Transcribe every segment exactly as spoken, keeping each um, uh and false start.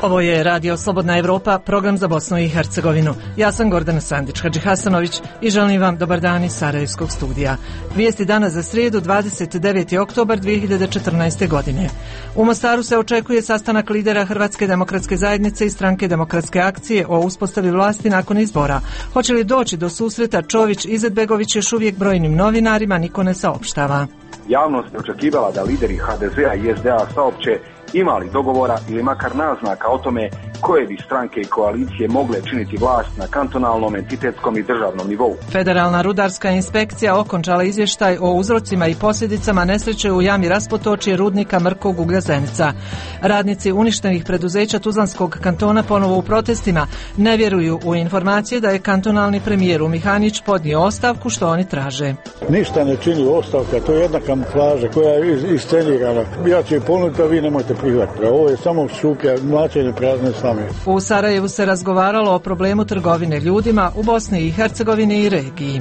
Ovo je Radio Slobodna Evropa, program za Bosnu i Hercegovinu. Ja sam Gordana Sandić-Hadži Hasanović i želim vam dobar dan iz Sarajevskog studija. Vijesti danas za srijedu, dvadeset deveti oktobar dvije hiljade četrnaeste. godine. U Mostaru se očekuje sastanak lidera Hrvatske demokratske zajednice i Stranke demokratske akcije o uspostavi vlasti nakon izbora. Hoće li doći do susreta Čović-Izetbegović još uvijek brojnim novinarima, niko ne saopštava. Javnost je očekivala da lideri ha de zea i es de a saopće ima li dogovora ili makar naznaka o tome koje bi stranke i koalicije mogle činiti vlast na kantonalnom, entitetskom i državnom nivou. Federalna rudarska inspekcija okončala izvještaj o uzrocima i posljedicama nesreće u jami raspotočje rudnika Mrkog uglja Zenica. Radnici uništenih preduzeća Tuzlanskog kantona ponovo u protestima ne vjeruju u informacije da je kantonalni premijer Mihanić podnio ostavku što oni traže. Ništa ne čini ostavka, to je jedna kamuflaža koja je iscenirana. Ja ću je ponuditi, a vi nemojte prihvatiti. Ovo je samo šuplja, mlačenje prazne slame. U Sarajevu se razgovaralo o problemu trgovine ljudima u Bosni i Hercegovini i regiji.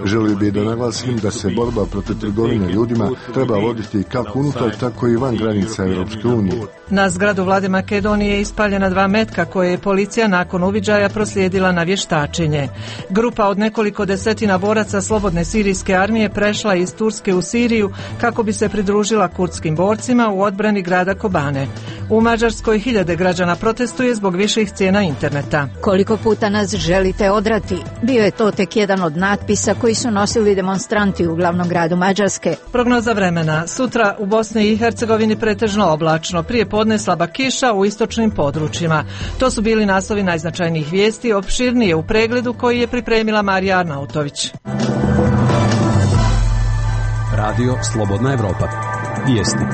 Želio bih da naglasim da se borba protiv trgovine ljudima treba voditi kako unutar, tako i van granica Europske unije. Na zgradu vlade Makedonije ispaljena dva metka koje je policija nakon uviđaja proslijedila na vještačenje. Grupa od nekoliko desetina boraca Slobodne sirijske armije prešla iz Turske u Siriju kako bi se pridružila kurdskim borcima u odbrani grada Kobane. U Mađarskoj hiljade građana protestuje zbog viših cijena interneta. Koliko puta nas želite odrati? Bio je to tek jedan od natpisa koji su nosili demonstranti u glavnom gradu Mađarske. Prognoza vremena. Sutra u Bosni i Hercegovini pretežno oblačno. Prije podne slaba kiša u istočnim područjima. To su bili naslovi najznačajnijih vijesti, opširnije u pregledu koji je pripremila Marija Arnautović. Radio Slobodna Evropa. Vijesti.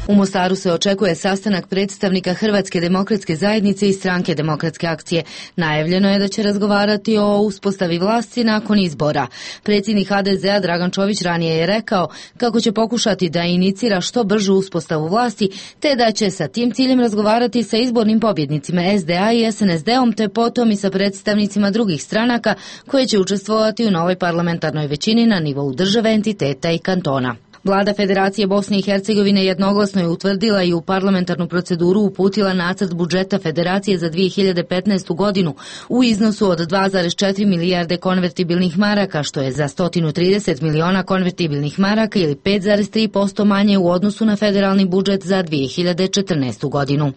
U Mostaru se očekuje sastanak predstavnika Hrvatske demokratske zajednice i Stranke demokratske akcije. Najavljeno je da će razgovarati o uspostavi vlasti nakon izbora. Predsjednik ha de zea Dragan Čović ranije je rekao kako će pokušati da inicira što bržu uspostavu vlasti, te da će sa tim ciljem razgovarati sa izbornim pobjednicima es de a i es en es de om, te potom i sa predstavnicima drugih stranaka koje će učestvovati u novoj parlamentarnoj većini na nivou države, entiteta i kantona. Vlada Federacije Bosne i Hercegovine jednoglasno je utvrdila i u parlamentarnu proceduru uputila nacrt budžeta Federacije za dvije hiljade petnaestu. godinu u iznosu od dva zarez četiri milijarde konvertibilnih maraka, što je za sto trideset miliona konvertibilnih maraka ili pet zarez tri posto manje u odnosu na federalni budžet za dvije hiljade četrnaestu. godinu.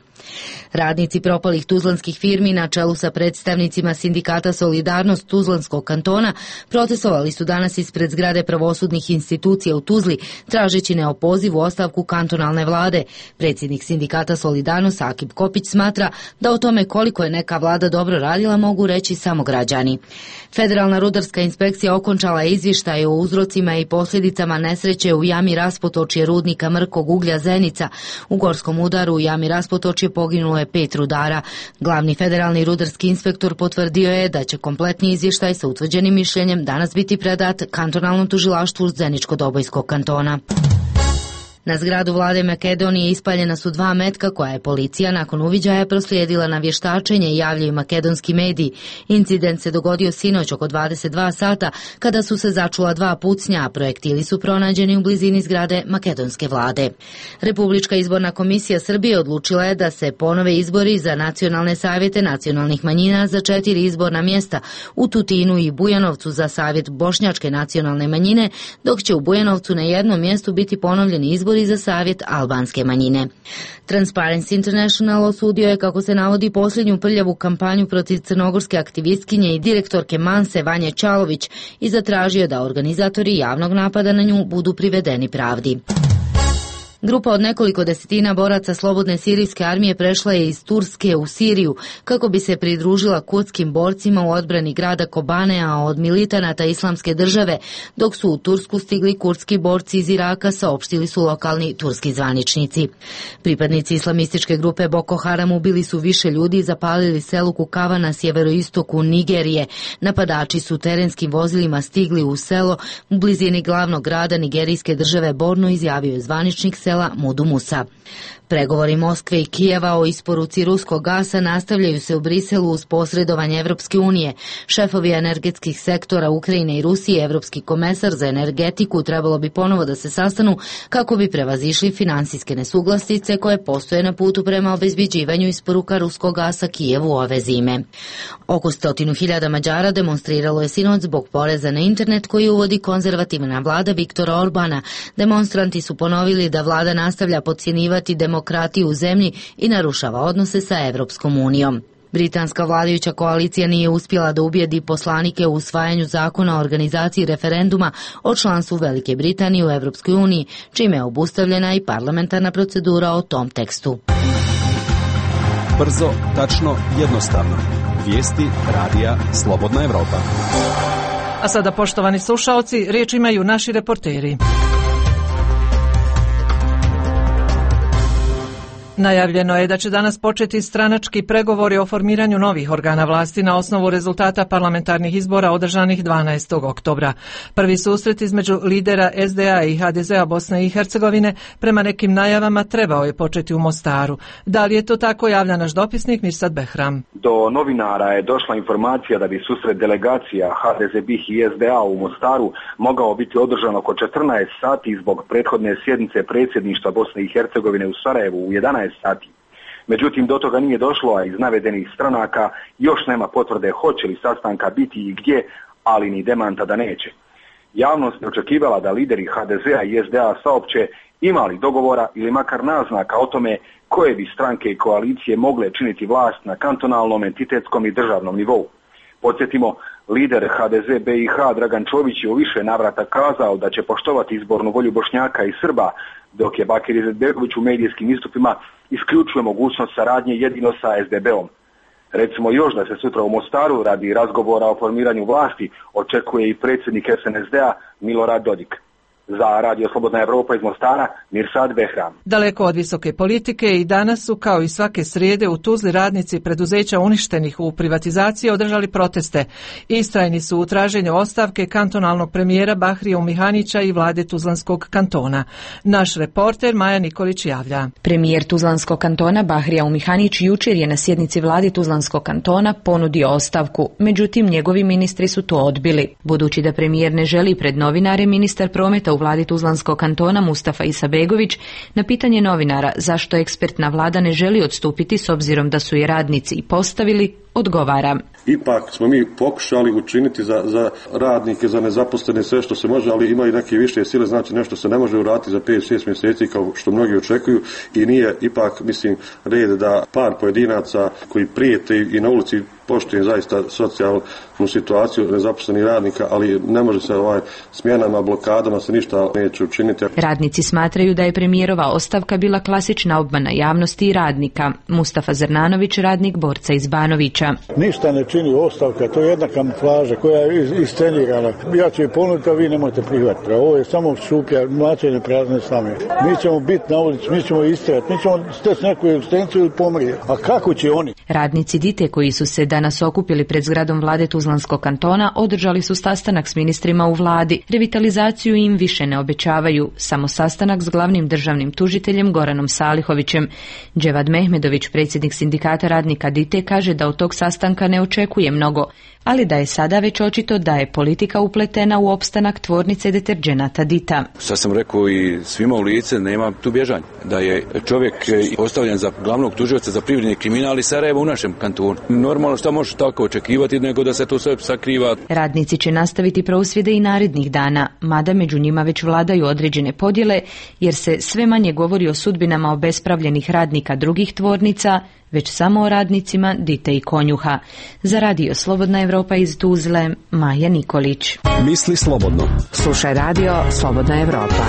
Radnici propalih tuzlanskih firmi na čelu sa predstavnicima sindikata Solidarnost Tuzlanskog kantona protestovali su danas ispred zgrade pravosudnih institucija u Tuzli, tražeći neopozivu ostavku kantonalne vlade. Predsjednik sindikata Solidarnost Akib Kopić smatra da o tome koliko je neka vlada dobro radila mogu reći samo građani. Federalna rudarska inspekcija okončala je izvještaj o uzrocima i posljedicama nesreće u jami raspotočje rudnika Mrkog uglja Zenica. U gorskom udaru u jami raspotočje poginulo je pet rudara. Glavni federalni rudarski inspektor potvrdio je da će kompletni izvještaj sa utvrđenim mišljenjem danas biti predat kantonalnom tužilaštvu Zeničko-Dobojskog kantona. Na zgradu vlade Makedonije ispaljena su dva metka koja je policija nakon uviđaja proslijedila na vještačenje, javljaju makedonski mediji. Incident se dogodio sinoć oko dvadeset dva sata kada su se začula dva pucnja, a projektili su pronađeni u blizini zgrade makedonske vlade. Republička izborna komisija Srbije odlučila je da se ponove izbori za nacionalne savjete nacionalnih manjina za četiri izborna mjesta u Tutinu i Bujanovcu za savjet bošnjačke nacionalne manjine, dok će u Bujanovcu na jednom mjestu biti ponovljeni izbori za savjet albanske manjine. Transparency International osudio je, kako se navodi, posljednju prljavu kampanju protiv crnogorske aktivistkinje i direktorke Manse Vanje Čalović i zatražio da organizatori javnog napada na nju budu privedeni pravdi. Grupa od nekoliko desetina boraca Slobodne sirijske armije prešla je iz Turske u Siriju kako bi se pridružila kurdskim borcima u odbrani grada Kobane, a od militanata Islamske države, dok su u Tursku stigli kurdski borci iz Iraka, saopštili su lokalni turski zvaničnici. Pripadnici islamističke grupe Boko Haram ubili su više ljudi i zapalili selu Kukava na sjeveroistoku Nigerije. Napadači su terenskim vozilima stigli u selo u blizini glavnog grada nigerijske države Borno, izjavio je zvaničnik Brisela Mudu Musa. Pregovori Moskve i Kijeva o isporuci ruskog gasa nastavljaju se u Briselu uz posredovanje Evropske unije. Šefovi energetskih sektora Ukrajine i Rusije, Evropski komesar za energetiku, trebalo bi ponovo da se sastanu kako bi prevazišli finansijske nesuglasice koje postoje na putu prema obezbeđivanju isporuka ruskog gasa Kijevu ove zime. Oko stotinu hiljada Mađara demonstriralo je sinoć zbog poreza na internet koji uvodi konzervativna vlada Viktora Orbana. Demonstranti su ponovili da vlada nastavlja podcjenjivati demokratiju u zemlji i narušava odnose sa Evropskom unijom. Britanska vladajuća koalicija nije uspjela da ubijedi poslanike u usvajanju zakona o organizaciji referenduma o članstvu Velike Britanije u Evropskoj uniji, čime je obustavljena i parlamentarna procedura o tom tekstu. Brzo, tačno, jednostavno. Vijesti radija Slobodna Evropa. A sada, poštovani slušaoci, riječ imaju naši reporteri. Najavljeno je da će danas početi stranački pregovori o formiranju novih organa vlasti na osnovu rezultata parlamentarnih izbora održanih dvanaestog oktobra. Prvi susret između lidera es de a i ha de zea Bosne i Hercegovine prema nekim najavama trebao je početi u Mostaru. Da li je to tako, javlja naš dopisnik Mirsad Behram. Do novinara je došla informacija da bi susret delegacija ha de ze be i es de a u Mostaru mogao biti održan oko četrnaest sati zbog prethodne sjednice predsjedništva Bosne i Hercegovine u Sarajevu u jedanaest sati. Međutim, do toga nije došlo, a iz navedenih stranaka još nema potvrde hoće li sastanka biti i gdje, ali ni demanta da neće. Javnost je očekivala da lideri ha de zea i es de a saopće ima li dogovora ili makar naznaka o tome koje bi stranke i koalicije mogle činiti vlast na kantonalnom, entitetskom i državnom nivou. Podsjetimo, lider ha de ze be i ha Dragan Čović je u više navrata kazao da će poštovati izbornu volju Bošnjaka i Srba, dok je Bakir Izetbegović u medijskim istupima isključuje mogućnost saradnje jedino sa es de beom. Recimo još da se sutra u Mostaru radi razgovora o formiranju vlasti očekuje i predsjednik es en es de a Milorad Dodik. Za Radio Slobodna Evropa iz Mostara, Mirsad Behram. Daleko od visoke politike i danas su, kao i svake srijede, u Tuzli radnici preduzeća uništenih u privatizaciji održali proteste. Istrajni su u traženju ostavke kantonalnog premijera Bahrija Umihanića i vlade Tuzlanskog kantona. Naš reporter Maja Nikolić javlja. Premijer Tuzlanskog kantona Bahrija Umihanić jučer je na sjednici vlade Tuzlanskog kantona ponudio ostavku, međutim njegovi ministri su to odbili. Budući da premijer ne želi pred novinare, ministar prometa u vladi Tuzlanskog kantona Mustafa Isabegović na pitanje novinara zašto ekspertna vlada ne želi odstupiti s obzirom da su je radnici i postavili, odgovara. Ipak smo mi pokušali učiniti za, za radnike, za nezaposlene sve što se može, ali imaju neke više sile, znači nešto se ne može uraditi za pet šest mjeseci kao što mnogi očekuju i nije ipak, mislim, red da par pojedinaca koji prijete i na ulici poštujem zaista socijalnu situaciju nezaposlenih radnika, ali ne može se ovaj smjenama, blokadama se ništa neće učiniti. Radnici smatraju da je premijerova ostavka bila klasična obmana javnosti i radnika. Mustafa Zrnanović, radnik borca iz Banovića. Ništa ne čini ostavka, to je jedna kamuflaža koja je iscenirana. Ja ću je ponuditi, a vi nemojte prihvatiti. Ovo je samo šuplja, mlačenje prazne slame. Mi ćemo biti na ulici, mi ćemo istrati, mi ćemo steći neku egzistenciju ili pomrijeti. A kako će oni? Radnici Dite koji su se danas okupili pred zgradom vlade Tuzlanskog kantona održali su sastanak s ministrima u vladi. Revitalizaciju im više ne obećavaju, samo sastanak s glavnim državnim tužiteljem Goranom Salihovićem. Dževad Mehmedović, predsjednik sindikata radnika Dite, kaže da od tog sastanka ne očekuje mnogo, ali da je sada već očito da je politika upletena u opstanak tvornice deterđenata Dita. Sad sam rekao i svima u lice, nema tu bježanja. Da je čovjek postavljen za glavnog tužioca za privredni kriminal i Sarajevo u našem kantonu. Normalno šta može tako očekivati nego da se to sve sakriva. Radnici će nastaviti prosvjede i narednih dana, mada među njima već vladaju određene podjele, jer se sve manje govori o sudbinama obespravljenih radnika drugih tvornica, već samo o radnicima Dite i Konjuha. Za Radio Slobodna Evropa iz Tuzle, Maja Nikolić. Misli slobodno. Slušaj Radio Slobodna Evropa.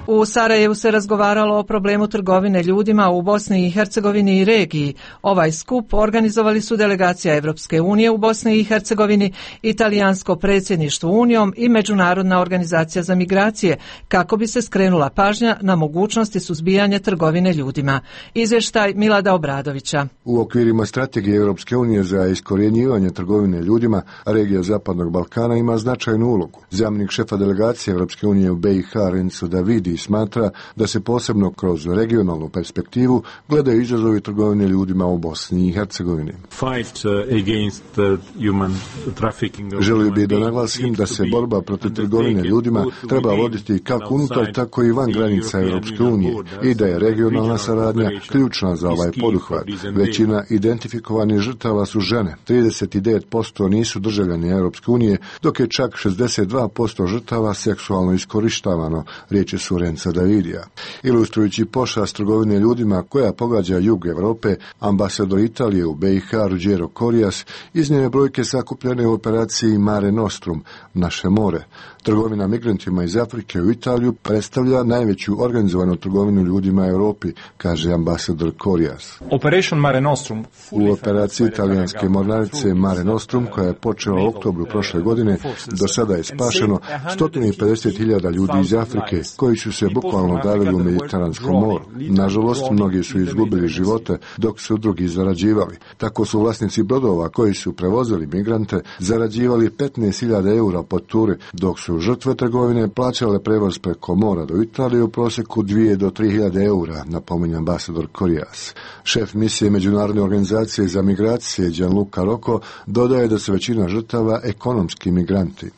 U U Sarajevu se razgovaralo o problemu trgovine ljudima u Bosni i Hercegovini i regiji. Ovaj skup organizovali su delegacija Evropske unije u Bosni i Hercegovini, Italijansko predsjedništvo Unijom i Međunarodna organizacija za migracije, kako bi se skrenula pažnja na mogućnosti suzbijanja trgovine ljudima. Izvještaj Milada Obradovića. U okvirima strategije Europske unije za iskorjenjivanje trgovine ljudima, regija Zapadnog Balkana ima značajnu ulogu. Zamjenik šefa delegacije Europske unije u B i H Renzo Davidi smatra da se posebno kroz regionalnu perspektivu gledaju izazovi trgovine ljudima u Bosni i Hercegovini. Želio bih da naglasim da se borba protiv trgovine ljudima treba voditi kako unutar, tako i van granica Europske unije i da je regionalna saradnja ključna za ovaj poduhvat. Većina identifikovanih žrtava su žene, trideset devet posto nisu državljani Europske unije, dok je čak šezdeset dva posto žrtava seksualno iskorištavano, riječi su Renza Davidija. Ilustrujući pošast trgovine ljudima koja pogađa jug Europe, ambasador Italije u B i H Ruggero Corias iznio je brojke sakupljene u operaciji Mare Nostrum, naše more. Trgovina migrantima iz Afrike u Italiju predstavlja najveću organizovanu trgovinu ljudima u Europi, kaže ambasador Corias. U operaciji italijanske mornarice Mare Nostrum, koja je počela u oktobru prošle godine, do sada je spašeno sto pedeset hiljada ljudi iz Afrike koji su se bukvalno davili u Mediteranskom moru. Nažalost, mnogi su izgubili živote dok su drugi zarađivali. Tako su vlasnici brodova koji su prevozili migrante zarađivali petnaest hiljada eura po turi, dok su žrtve trgovine plaćale prevoz preko mora do Italije u prosjeku dvije do tri hiljade eura, napominje ambasador Corias. Šef misije Međunarodne organizacije za migracije Gianluca Rocco dodaje da su većina žrtava ekonomski migranti.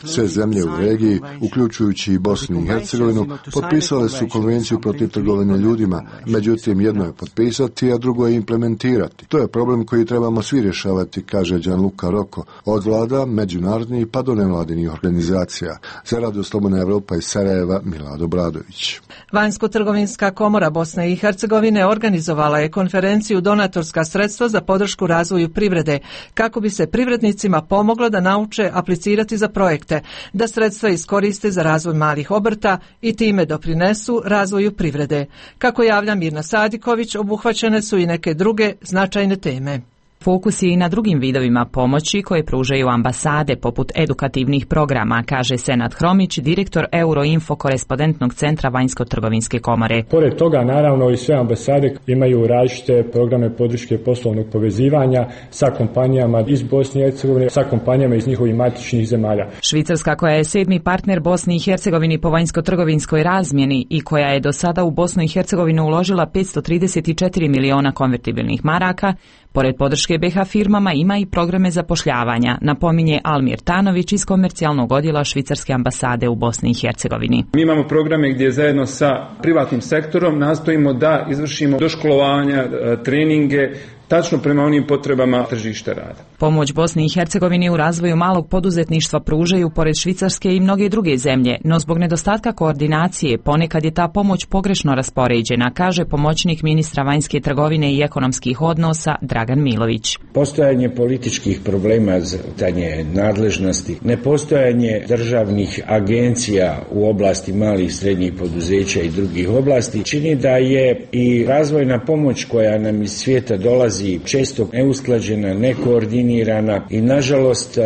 Sve zemlje u regiji, uključujući i Bosnu i Hercegovinu, potpisale su konvenciju protiv trgovine ljudima, međutim jedno je potpisati, a drugo je implementirati. To je problem koji trebamo svi rješavati, kaže Gianluca Rocco, od vlada, međunarodnih pa do nevladinih organizacija. Za Radio Slobodna Evropa iz Sarajeva, Milado Obradović. Vanjsko-trgovinska komora Bosne i Hercegovine organizovala je konferenciju Donatorska sredstva za podršku razvoju privrede, kako bi se privrednicima pomoglo da nauče aplicirati za projekte, da sredstva iskoriste za razvoj malih obrta i time doprinesu razvoju privrede. Kako javlja Mirna Sadiković, obuhvaćene su i neke druge značajne teme. Fokus je i na drugim vidovima pomoći koje pružaju ambasade, poput edukativnih programa, kaže Senad Hromić, direktor Euroinfo korespondentnog centra Vanjsko-trgovinske komore. Pored toga, naravno, i sve ambasade imaju različite programe podrške poslovnog povezivanja sa kompanijama iz Bosne i Hercegovine, sa kompanijama iz njihovih matičnih zemalja. Švicarska, koja je sedmi partner Bosni i Hercegovini po vanjsko-trgovinskoj razmjeni i koja je do sada u Bosnu i Hercegovinu uložila petsto trideset četiri miliona konvertibilnih maraka, pored podrške B H firmama ima i programe zapošljavanja, napominje Almir Tanović iz komercijalnog odjela švicarske ambasade u Bosni i Hercegovini. Mi imamo programe gdje zajedno sa privatnim sektorom nastojimo da izvršimo doškolovanja, treninge, tačno prema onim potrebama tržišta rada. Pomoć Bosni i Hercegovini u razvoju malog poduzetništva pružaju pored Švicarske i mnoge druge zemlje, no zbog nedostatka koordinacije ponekad je ta pomoć pogrešno raspoređena, kaže pomoćnik ministra vanjske trgovine i ekonomskih odnosa Dragan Milović. Postojanje političkih problema za tanje nadležnosti, nepostojanje državnih agencija u oblasti malih i srednjih poduzeća i drugih oblasti čini da je i razvojna pomoć koja nam iz svijeta dolazi često neusklađena, nekoordinirana i nažalost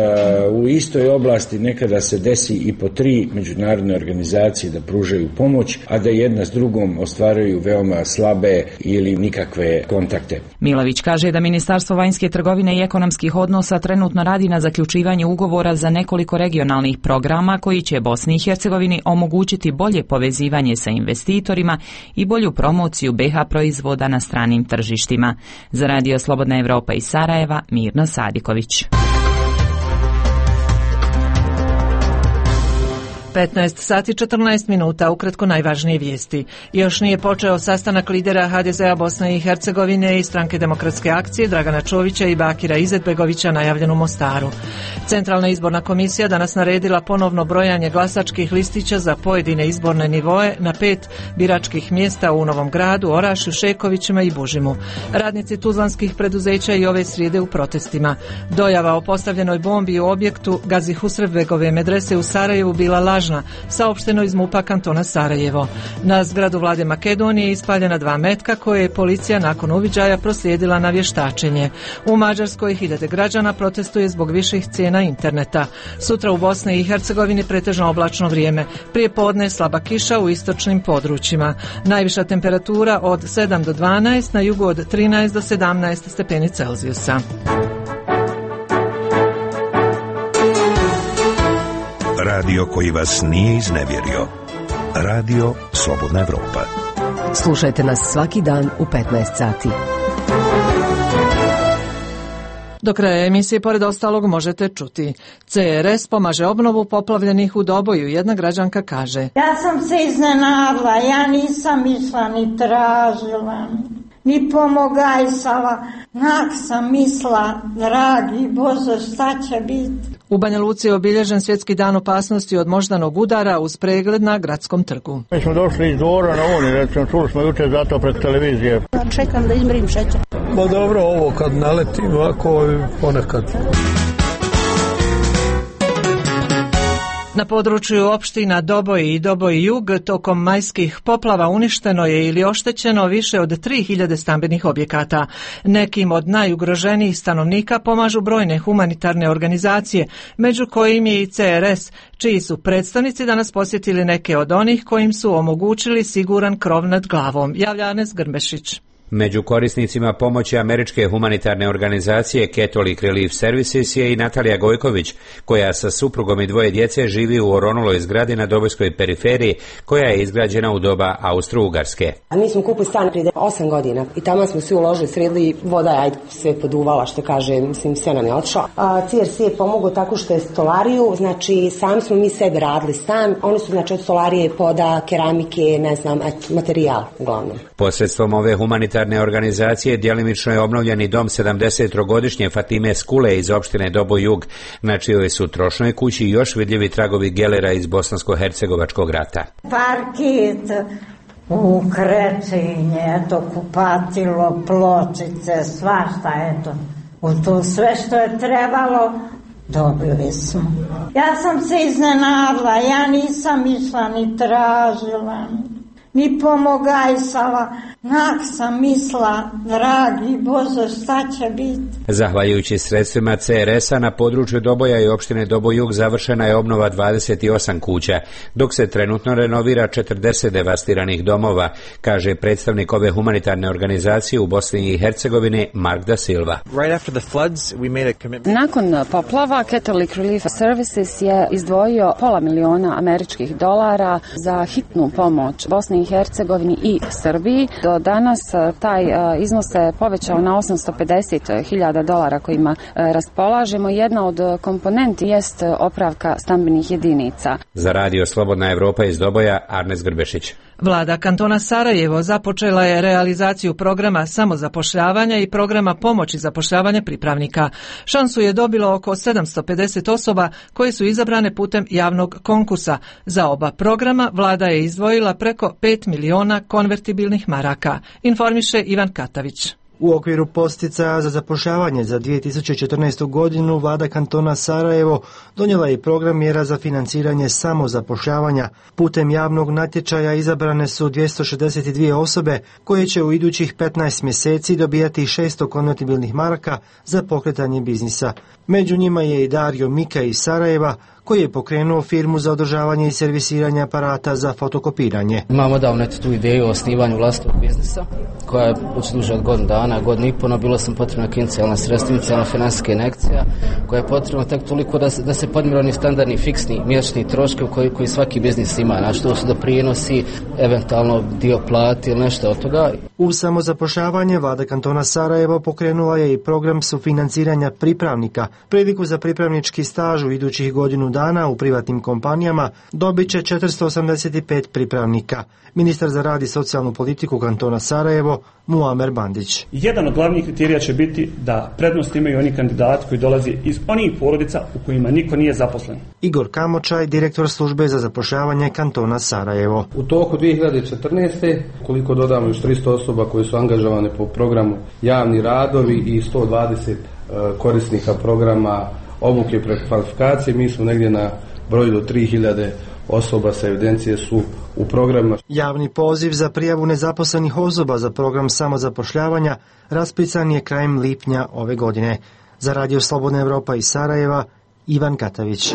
u istoj oblasti nekada se desi i po tri međunarodne organizacije da pružaju pomoć, a da jedna s drugom ostvaruju veoma slabe ili nikakve kontakte. Milović kaže da Ministarstvo vanjske trgovine i ekonomskih odnosa trenutno radi na zaključivanju ugovora za nekoliko regionalnih programa koji će Bosni i Hercegovini omogućiti bolje povezivanje sa investitorima i bolju promociju B H proizvoda na stranim tržištima. Za Radio Slobodna Evropa iz Sarajeva, Mirno Sadiković. petnaest sati četrnaest minuta, ukratko najvažnije vijesti. Još nije počeo sastanak lidera H D Z-a Bosne i Hercegovine i Stranke demokratske akcije Dragana Čovića i Bakira Izetbegovića najavljen u Mostaru. Centralna izborna komisija danas naredila ponovno brojanje glasačkih listića za pojedine izborne nivoe na pet biračkih mjesta u Novom Gradu, Orašju, Šekovićima i Bužimu. Radnici tuzlanskih preduzeća i ove srijede u protestima. Dojava o postavljenoj bombi u objektu Gazi Husrevbegove medrese u Sarajevu bila laž lažna, saopšteno iz MUP-a kantona Sarajevo. Na zgradu vlade Makedonije ispaljena dva metka koje je policija nakon uviđaja proslijedila na vještačenje. U Mađarskoj hiljade građana protestuje zbog viših cijena interneta. Sutra u Bosni i Hercegovini pretežno oblačno vrijeme. Prije podne slaba kiša u istočnim područjima. Najviša temperatura od sedam do dvanaest, na jugu od trinaest do sedamnaest stepeni Celzijusa. Radio koji vas nije iznevjerio. Radio Slobodna Evropa. Slušajte nas svaki dan u petnaest sati. Do kraja emisije, pored ostalog, možete čuti. C R S pomaže obnovu poplavljenih u Doboju. Jedna građanka kaže: Ja sam se iznenadila, ja nisam išla ni tražila, ni pomogajsala. Nak sam misla, dragi Bože, šta će biti? U Banja Luci je obilježen svjetski dan opasnosti od moždanog udara uz pregled na gradskom trgu. Mi smo došli iz Dvora na Uni, recimo, čuli smo jučer zato pred televizije. Čekam da izmjerim šećer. Ma dobro, ovo kad naleti ovako ponekad. Na području opština Doboj i Doboj Jug tokom majskih poplava uništeno je ili oštećeno više od tri hiljade stambenih objekata. Nekim od najugroženijih stanovnika pomažu brojne humanitarne organizacije, među kojim je i C R S, čiji su predstavnici danas posjetili neke od onih kojim su omogućili siguran krov nad glavom. Javlja Anes Grmbešić. Među korisnicima pomoći američke humanitarne organizacije Catholic Relief Services je i Natalija Gojković, koja sa suprugom i dvoje djece živi u oronuloj zgradi na Dobojskoj periferiji, koja je izgrađena u doba Austro-Ugarske. A mi smo kupili stan prije osam godina i tamo smo svi uložili, sredili, voda je ajde sve poduvala, što kaže, mislim, sve nam je otišlo. C R C je pomogao tako što je stolariju, znači sami smo mi sebi radili stan, oni su znači od stolarije, poda, keramike, ne znam, et, materijal uglavnom. Posredstvom ove humanitarne organizacije djelimično je obnovljeni dom sedamdesetogodišnje Fatime Skule iz opštine Doboj Jug, na čijoj su trošnoj kući još vidljivi tragovi gelera iz bosansko-hercegovačkog rata. Parket, ukrećenje, eto, kupatilo, pločice, svašta, eto. U to sve što je trebalo dobili smo. Ja sam se iznenadila, ja nisam išla ni tražila, ni pomogajsala. Nak sam misla, dragi Bože, šta će biti? Zahvaljujući sredstvima C R S-a na području Doboja i opštine Doboj Jug završena je obnova dvadeset osam kuća, dok se trenutno renovira četrdeset devastiranih domova, kaže predstavnik ove humanitarne organizacije u Bosni i Hercegovini Mark da Silva. Nakon poplava Catholic Relief Services je izdvojio pola miliona američkih dolara za hitnu pomoć Bosni i Hercegovini i Srbiji. Do danas taj iznos se povećao na osamsto pedeset hiljada dolara kojima raspolažemo. Jedna od komponenti jest opravka stambenih jedinica. Za Radio Slobodna Evropa iz Doboja, Arnes Grbešić. Vlada kantona Sarajevo započela je realizaciju programa samozapošljavanja i programa pomoći zapošljavanja pripravnika. Šansu je dobilo oko sedamsto pedeset osoba koje su izabrane putem javnog konkursa. Za oba programa vlada je izdvojila preko pet miliona konvertibilnih maraka, informiše Ivan Katavić. U okviru posticaja za zapošljavanje za dvije tisuće četrnaestu godinu vlada kantona Sarajevo donijela je program mjera za financiranje samozapošljavanja. Putem javnog natječaja izabrane su dvjesto šezdeset dvije osobe koje će u idućih petnaest mjeseci dobijati šesto konvertibilnih maraka za pokretanje biznisa. Među njima je i Dario Mika iz Sarajeva, koji je pokrenuo firmu za održavanje i servisiranje aparata za fotokopiranje. Imamo odavno tu ideju o osnivanju vlastitog biznisa, koja je duže od godinu dana, godinu i pol, bilo sam potrebna inicijalna sredstva, inicijalna financijska injekcija, koja je potrebna tek toliko da se, da se podmire oni standardni fiksni mjesečni troškovi koji, koji svaki biznis ima, znači to su doprinosi, eventualno dio plati ili nešto od toga. U samozapošljavanje vlada kantona Sarajevo pokrenula je i program sufinanciranja pripravnika. Priliku za pripravnički staž u idućih godinu dana u privatnim kompanijama dobit će četiristo osamdeset pet pripravnika. Ministar za rad i socijalnu politiku kantona Sarajevo, Muamer Bandić. Jedan od glavnih kriterija će biti da prednost imaju oni kandidati koji dolazi iz onih porodica u kojima niko nije zaposlen. Igor Kamočaj, direktor službe za zapošljavanje kantona Sarajevo. U toku dvije hiljade četrnaeste. koliko dodamo još tristo osoba koji su angažovane po programu javni radovi i sto dvadeset korisnika programa obuke prekvalifikacije, mi smo negdje na broju do tri hiljade osoba sa evidencije su u programima. Javni poziv za prijavu nezaposlenih osoba za program samozapošljavanja raspisan je krajem lipnja ove godine. Za Radio Slobodna Evropa iz Sarajeva, Ivan Katavić.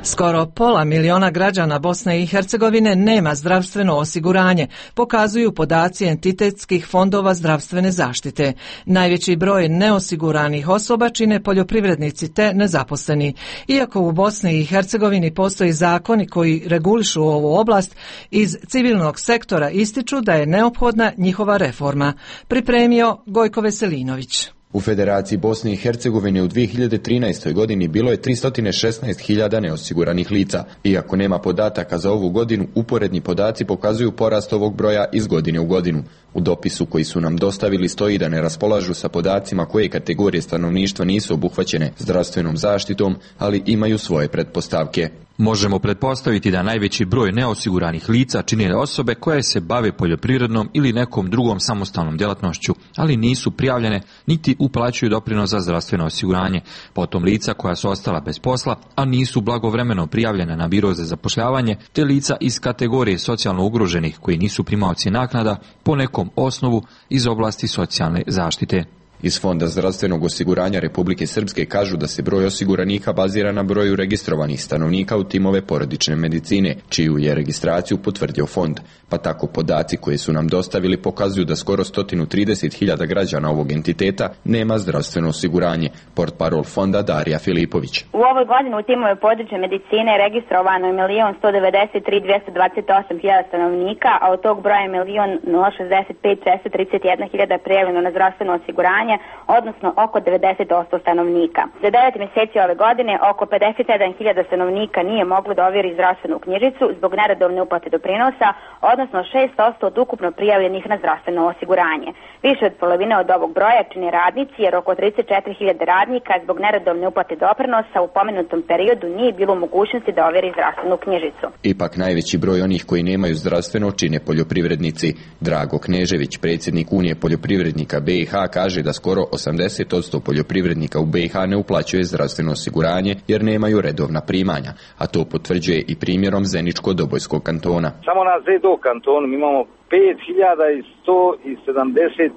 Skoro pola miliona građana Bosne i Hercegovine nema zdravstveno osiguranje, pokazuju podaci entitetskih fondova zdravstvene zaštite. Najveći broj neosiguranih osoba čine poljoprivrednici te nezaposleni. Iako u Bosni i Hercegovini postoji zakoni koji regulišu ovu oblast, iz civilnog sektora ističu da je neophodna njihova reforma. Pripremio Gojko Veselinović. U Federaciji Bosne i Hercegovine u dvije hiljade trinaestoj godini bilo je tristo šesnaest hiljada neosiguranih lica. Iako nema podataka za ovu godinu, uporedni podaci pokazuju porast ovog broja iz godine u godinu. U dopisu koji su nam dostavili stoji da ne raspolažu sa podacima koje kategorije stanovništva nisu obuhvaćene zdravstvenom zaštitom, ali imaju svoje pretpostavke. Možemo pretpostaviti da najveći broj neosiguranih lica čine osobe koje se bave poljoprivrednom ili nekom drugom samostalnom djelatnošću, ali nisu prijavljene niti uplaćuju doprinos za zdravstveno osiguranje. Potom lica koja su ostala bez posla, a nisu blagovremeno prijavljene na biro za zapošljavanje, te lica iz kategorije socijalno ugroženih koji nisu primaoci naknada po nekom osnovu iz oblasti socijalne zaštite. Iz Fonda zdravstvenog osiguranja Republike Srpske kažu da se broj osiguranika bazira na broju registrovanih stanovnika u timove porodične medicine, čiju je registraciju potvrdio fond. Pa tako podaci koje su nam dostavili pokazuju da skoro sto trideset hiljada građana ovog entiteta nema zdravstveno osiguranje. Portparol fonda Darija Filipović. U ovoj godini u timove područne medicine je registrovano milion sto devedeset tri hiljade dvjesto dvadeset osam stanovnika, a od tog broja je milion šezdeset pet hiljada šesto trideset jedna prijavljeno na zdravstveno osiguranje, odnosno oko devedeset posto stanovnika. Za devet mjeseci ove godine oko pedeset sedam hiljada stanovnika nije moglo da ovjeri zdravstvenu knjižicu zbog neredovne uplate doprinosa, odnosno šest posto od ukupno prijavljenih na zdravstveno osiguranje. Više od polovine od ovog broja čine radnici, jer oko trideset četiri hiljade radnika zbog neredovne uplate doprinosa u pomenutom periodu nije bilo mogućnosti da ovjeri zdravstvenu knjižicu. Ipak najveći broj onih koji nemaju zdravstveno čine poljoprivrednici. Drago Knežević, predsjednik Unije poljoprivrednika B i H, kaže da skoro osamdeset posto poljoprivrednika u B i H ne uplaćuje zdravstveno osiguranje jer nemaju redovna primanja, a to potvrđuje i primjerom Zeničko-Dobojskog kantona. Samo na Zedo kantonu imamo pet hiljada sto sedamdeset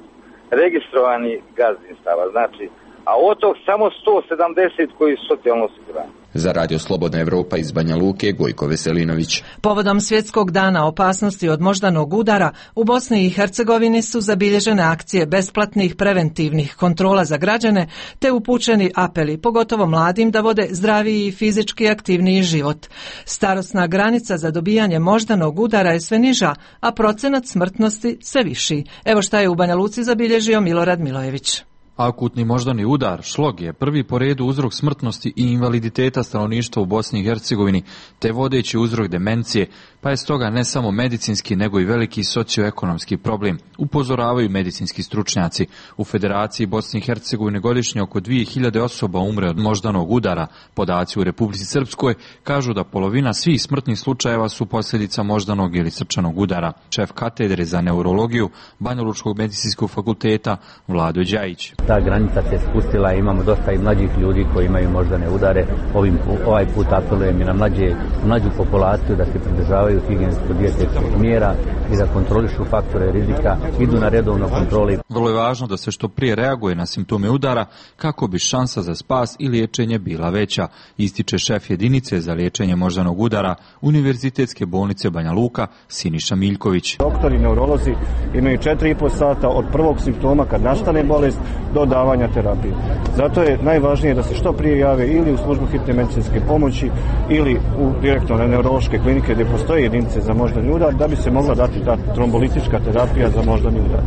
registrovanih gazdinstava, znači, a od tog samo sto sedamdeset koji su socijalno osigurani. Za Radio Slobodna Evropa iz Banja Luke, Gojko Veselinović. Povodom Svjetskog dana opasnosti od moždanog udara, u Bosni i Hercegovini su zabilježene akcije besplatnih preventivnih kontrola za građane, te upućeni apeli, pogotovo mladim, da vode zdraviji i fizički aktivniji život. Starosna granica za dobijanje moždanog udara je sve niža, a procenat smrtnosti sve viši. Evo šta je u Banja Luci zabilježio Milorad Milojević. Akutni moždani udar, šlog, je prvi po redu uzrok smrtnosti i invaliditeta stanovništva u Bosni i Hercegovini, te vodeći uzrok demencije, pa je stoga ne samo medicinski nego i veliki socioekonomski problem, upozoravaju medicinski stručnjaci. U Federaciji Bosne i Hercegovine godišnje oko dvije hiljade osoba umre od moždanog udara. Podaci u Republici Srpskoj kažu da polovina svih smrtnih slučajeva su posljedica moždanog ili srčanog udara. Šef katedre za neurologiju Banjalučkog medicinskog fakulteta Vlado Đajić. Ta granica se spustila, imamo dosta i mlađih ljudi koji imaju moždane udare. Ovim, ovaj put apelujem i na mlađe, mlađu populaciju da se pridržavaju higijensko-dijetetskih mjera i da kontrolišu faktore rizika, idu na redovno kontroli. Vrlo je važno da se što prije reaguje na simptome udara kako bi šansa za spas i liječenje bila veća, ističe šef jedinice za liječenje moždanog udara Univerzitetske bolnice Banja Luka Siniša Miljković. Doktori neurolozi imaju četiri i po sata od prvog simptoma kad nastane bolest do davanja terapije. Zato je najvažnije da se što prije jave ili u službu hitne medicinske pomoći ili u direktno na neurološke klinike gdje postoje jedinice za moždani udar da bi se mogla dati ta trombolitička terapija za moždani udar.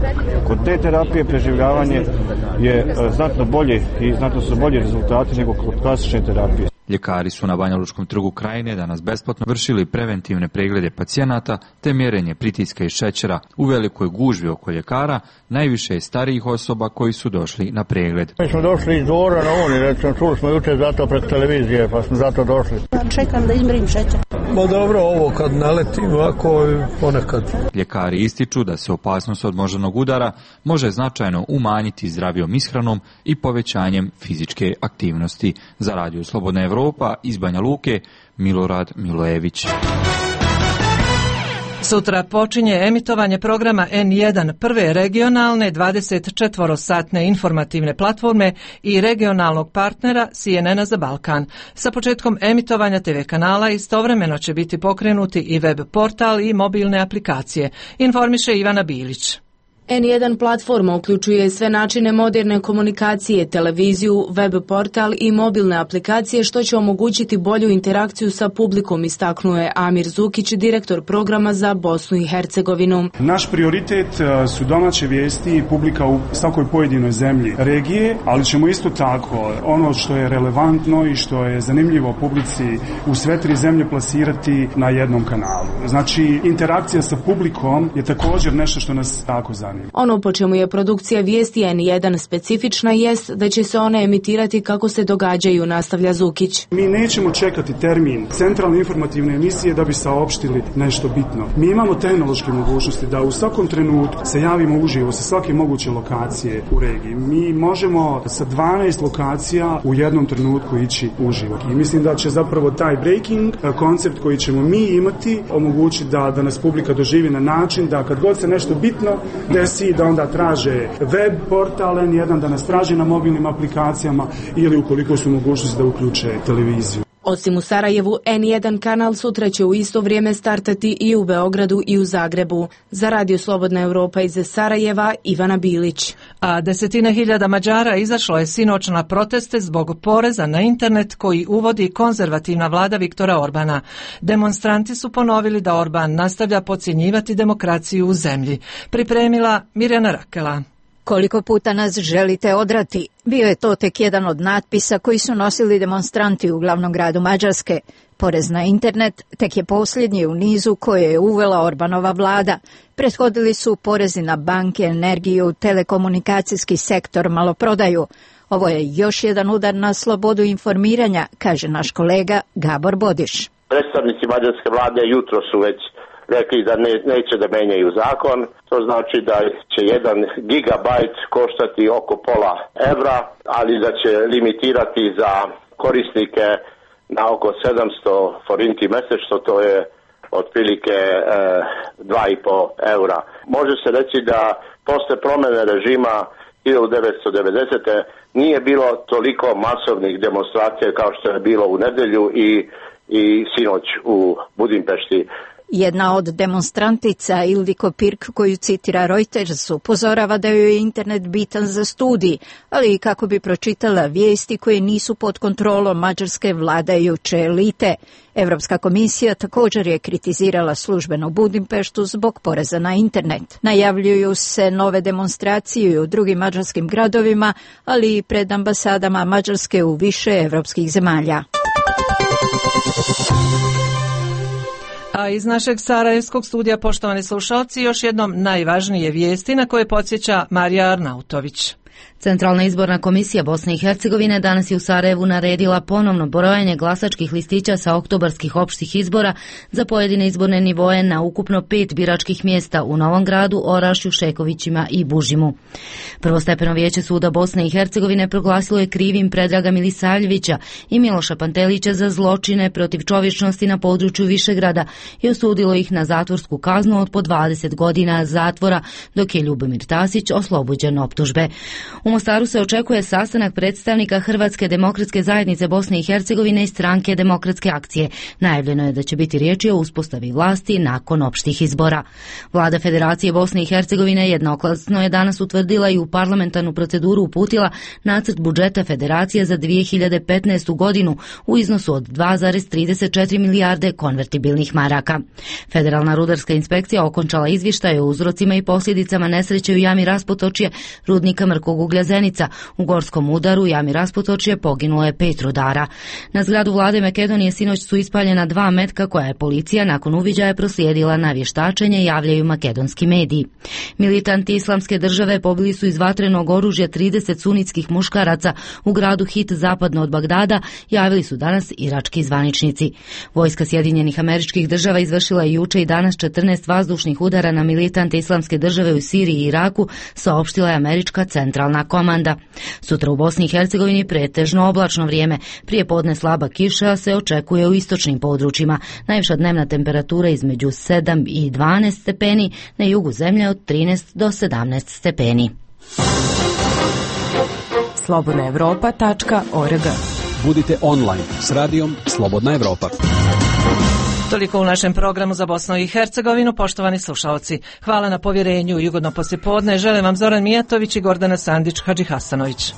Kod te terapije preživljavanje je znatno bolje i znatno su bolji rezultati nego kod klasične terapije. Ljekari su na Banjalučkom trgu Krajine danas besplatno vršili preventivne preglede pacijenata te mjerenje pritiska i šećera. U velikoj gužvi oko ljekara najviše je starijih osoba koji su došli na pregled. Mi smo došli iz Dvora na Uni, recimo čuli smo jučer zato preko televizije pa smo zato došli. Čekam da izmjerim šećer. Ma dobro, ovo kad naletim ovako ponekad. Ljekari ističu da se opasnost od moždanog udara može značajno umanjiti zdravijom ishranom i povećanjem fizičke aktivnosti. Za Radio Slobodna Evropa iz Banja Luke, Milorad Milojević. Sutra počinje emitovanje programa en jedan, prve regionalne dvadeset četiri satne informativne platforme i regionalnog partnera C N N-a za Balkan. Sa početkom emitovanja te ve kanala istovremeno će biti pokrenuti i web portal i mobilne aplikacije, informiše Ivana Bilić. en jedan platforma uključuje sve načine moderne komunikacije, televiziju, web portal i mobilne aplikacije što će omogućiti bolju interakciju sa publikom, istaknuo je Amir Zukić, direktor programa za Bosnu i Hercegovinu. Naš prioritet su domaće vijesti i publika u svakoj pojedinoj zemlji regije, ali ćemo isto tako ono što je relevantno i što je zanimljivo publici u sve tri zemlje plasirati na jednom kanalu. Znači, interakcija sa publikom je također nešto što nas tako zanima. Ono po čemu je produkcija vijesti en jedan specifična jest da će se one emitirati kako se događaju, nastavlja Zukić. Mi nećemo čekati termin centralne informativne emisije da bi saopštili nešto bitno. Mi imamo tehnološke mogućnosti da u svakom trenutku se javimo uživo sa svake moguće lokacije u regiji. Mi možemo sa dvanaest lokacija u jednom trenutku ići uživo. I mislim da će zapravo taj breaking koncept koji ćemo mi imati omogućiti da, da nas publika doživi na način da kad god se nešto bitno desi, da onda traže web portal en jedan, da nas traže na mobilnim aplikacijama ili ukoliko su mogućnosti da uključe televiziju. Osim u Sarajevu, en jedan kanal sutra će u isto vrijeme startati i u Beogradu i u Zagrebu. Za Radio Slobodna Evropa iz Sarajeva, Ivana Bilić. A desetine hiljada Mađara izašlo je sinoć na proteste zbog poreza na internet koji uvodi konzervativna vlada Viktora Orbana. Demonstranti su ponovili da Orban nastavlja podcjenjivati demokraciju u zemlji. Pripremila Mirjana Rakela. Koliko puta nas želite odrati? Bio je to tek jedan od natpisa koji su nosili demonstranti u glavnom gradu Mađarske. Porez na internet tek je posljednji u nizu koje je uvela Orbanova vlada. Prethodili su porezi na banke, energiju, telekomunikacijski sektor, maloprodaju. Ovo je još jedan udar na slobodu informiranja, kaže naš kolega Gabor Bodiš. Predstavnici mađarske vlade jutro su već rekli da ne, neće da menjaju zakon, to znači da će jedan gigabajt koštati oko pola evra, ali da će limitirati za korisnike na oko sedamsto forinti mjesečno, to je otprilike e, dva i pol eura. Može se reći da posle promjene režima hiljadu devetsto devedesete. nije bilo toliko masovnih demonstracija kao što je bilo u nedjelju i, i sinoć u Budimpešti. Jedna od demonstrantica, Ildiko Pirk, koju citira Reuters, upozorava da joj je internet bitan za studij, ali i kako bi pročitala vijesti koje nisu pod kontrolom mađarske vladajuće elite. Evropska komisija također je kritizirala službenu Budimpeštu zbog poreza na internet. Najavljuju se nove demonstracije u drugim mađarskim gradovima, ali i pred ambasadama Mađarske u više evropskih zemalja. A iz našeg sarajevskog studija, poštovani slušalci, još jednom najvažnije vijesti na koje podsjeća Marija Arnautović. Centralna izborna komisija Bosne i Hercegovine danas je u Sarajevu naredila ponovno brojanje glasačkih listića sa oktobarskih opštih izbora za pojedine izborne nivoe na ukupno pet biračkih mjesta u Novom Gradu, Orašju, Šekovićima i Bužimu. Prvostepeno vijeće suda Bosne i Hercegovine proglasilo je krivim Predraga Milisavljevića i Miloša Pantelića za zločine protiv čovječnosti na području Višegrada i osudilo ih na zatvorsku kaznu od po dvadeset godina zatvora, dok je Ljubomir Tasić oslobođen optužbe. U Mostaru se očekuje sastanak predstavnika Hrvatske demokratske zajednice Bosne i Hercegovine i stranke Demokratske akcije. Najavljeno je da će biti riječi o uspostavi vlasti nakon opštih izbora. Vlada Federacije Bosne i Hercegovine jednoglasno je danas utvrdila i u parlamentarnu proceduru uputila nacrt budžeta Federacije za dvije hiljade petnaestu. godinu u iznosu od dva zarez trideset četiri milijarde konvertibilnih maraka. Federalna rudarska inspekcija okončala izvještaj o uzrocima i posljedicama nesreće u jami Raspotočje rudnika Mrkog ovog uglja Zenica. U gorskom udaru u jami Rasputočje poginulo je pet rudara. Na zgradu vlade Makedonije sinoć su ispaljena dva metka koja je policija nakon uviđaja proslijedila na vještačenje, javljaju makedonski mediji. Militanti Islamske države pobili su iz vatrenog oružja trideset sunitskih muškaraca u gradu Hit zapadno od Bagdada, javili su danas irački zvaničnici. Vojska Sjedinjenih Američkih Država izvršila je juče i danas četrnaest vazdušnih udara na militante Islamske države u Siriji i Iraku, saopštila je američka centralna komanda. Sutra u Bosni i Hercegovini pretežno oblačno vrijeme. Prije podne slaba kiša se očekuje u istočnim područjima. Najviša dnevna temperatura između sedam i dvanaest stepeni, na jugu zemlje od trinaest do sedamnaest stepeni. slobodna evropa tačka org. Budite online s radijom Slobodna Evropa. Toliko u našem programu za Bosnu i Hercegovinu, poštovani slušalci. Hvala na povjerenju i ugodno poslijepodne. Želim vam Zoran Mijatović i Gordana Sandić Hadžihasanović.